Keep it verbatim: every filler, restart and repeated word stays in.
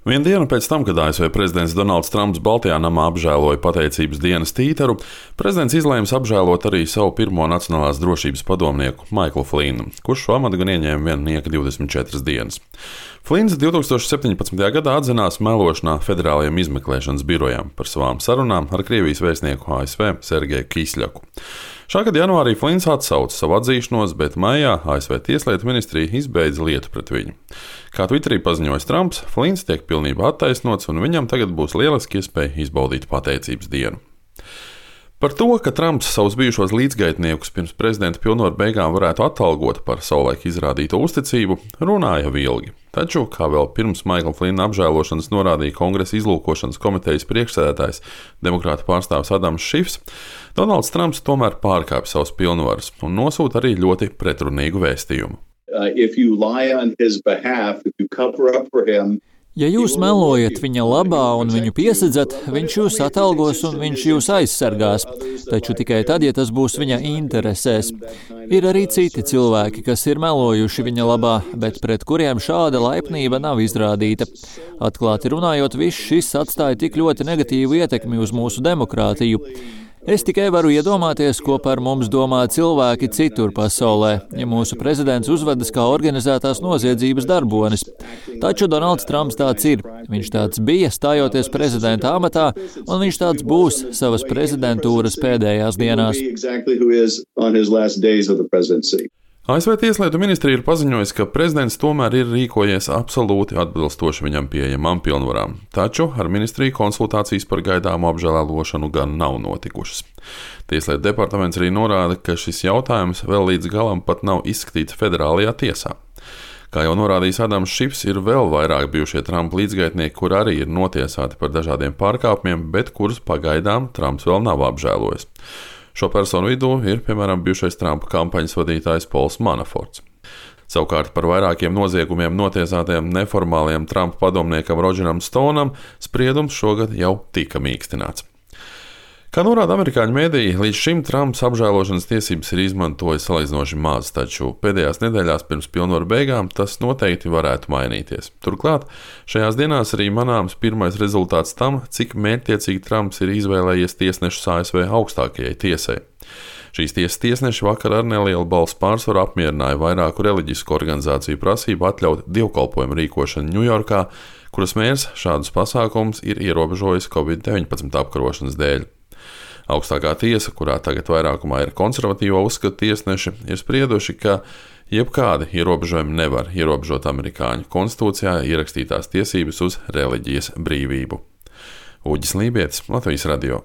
Vienu dienu pēc tam, kad A S V prezidents Donalds Trumps Baltajā namā apžēloja pateicības dienas tīteru, prezidents izlēma apžēlot arī savu pirmo nacionālās drošības padomnieku Maiklu Flinu, kurš šo amatu gan ieņēma vien nieka divdesmit četras dienas. Flins divtūkstoš septiņpadsmitajā gadā atzinās melošanā Federālajiem izmeklēšanas birojām par savām sarunām ar Krievijas vēstnieku A S V Sergeju Kisļaku. Šā gada janvārī Flins atsauca savu atzīšanos, bet maijā A S V Tieslietu ministrija izbeidza lietu pret viņu. Kā Twitterī paziņojis Trumps, Flins tiek pilnībā attaisnots un viņam tagad būs lieliski iespēja izbaudīt pateicības dienu. Par to, ka Trumps savus bijušos līdzgaitniekus pirms prezidenta pilnvaru beigām varētu atalgot par savulaik izrādīto uzticību, runāja ilgi. Taču, kā vēl pirms Maikla Flina apžēlošanas norādīja Kongresa izlūkošanas komitejas priekšsēdētājs, demokrāta pārstāvis Adams Šifs, Donalds Trumps tomēr pārkāpj savus pilnvarus un nosūta arī ļoti pretrunīgu vēstījumu. Uh, if you lie on his behalf, if you cover up for him, Ja jūs melojat viņa labā un viņu piesadzat, viņš jūs atalgos un viņš jūs aizsargās, taču tikai tad, ja tas būs viņa interesēs. Ir arī citi cilvēki, kas ir melojuši viņa labā, bet pret kuriem šāda laipnība nav izrādīta. Atklāti runājot, viss šis atstāja tik ļoti negatīvu ietekmi uz mūsu demokrātiju. Es tikai varu iedomāties, ko par mums domā cilvēki citur pasaulē, ja mūsu prezidents uzvedas kā organizētās noziedzības darbonis. Taču Donalds Trumps tāds ir. Viņš tāds bija, stājoties prezidenta amatā, un viņš tāds būs savas prezidentūras pēdējās dienās. A S V Tieslietu ministrija ir paziņojusi, ka prezidents tomēr ir rīkojies absolūti atbilstoši viņam pieejamām pilnvarām, taču ar ministriju konsultācijas par gaidāmu apžēlošanu gan nav notikušas. Tieslietu departaments arī norāda, ka šis jautājums vēl līdz galam pat nav izskatīts federālajā tiesā. Kā jau norādījis Adams Šifs, ir vēl vairāk bijušie Trumpa līdzgaitnieki, kur arī ir notiesāti par dažādiem pārkāpumiem, bet kurus pagaidām Trumps vēl nav apžēlojis. Šo personu vidū ir, piemēram, bijušais Trumpa kampaņas vadītājs Pols Manaforts. Savukārt par vairākiem noziegumiem notiesātajam neformālajam Trumpa padomniekam Rodžeram Stonam spriedums šogad jau tika mīkstināts. Kā norāda amerikāņu mēdīji, līdz šim Trumps apžēlošanas tiesības ir izmantojis salīdzinoši maz, taču pēdējās nedēļās pirms pilnvaru beigām tas noteikti varētu mainīties. Turklāt šajās dienās arī manāms pirmais rezultāts tam, cik mērķtiecīgi Trumps ir izvēlējies tiesnešus A S V augstākajai tiesai. Šīs tiesas tiesneši vakar ar nelielu balsu pārsvaru apmierināja vairāku reliģisku organizāciju prasību atļaut dievkalpojumu rīkošanu Ņujorkā, kuras mērs šādus pasākumus ir ierobežojis covid deviņpadsmit apkarošanas dēļ. Augstākā tiesa, kurā tagad vairākumā ir konservatīvo uzskatu tiesneši, ir sprieduši, ka jebkādi ierobežojumi nevar ierobežot amerikāņu konstitūcijā ierakstītās tiesības uz reliģijas brīvību. Uģis Lībietis, Latvijas radio.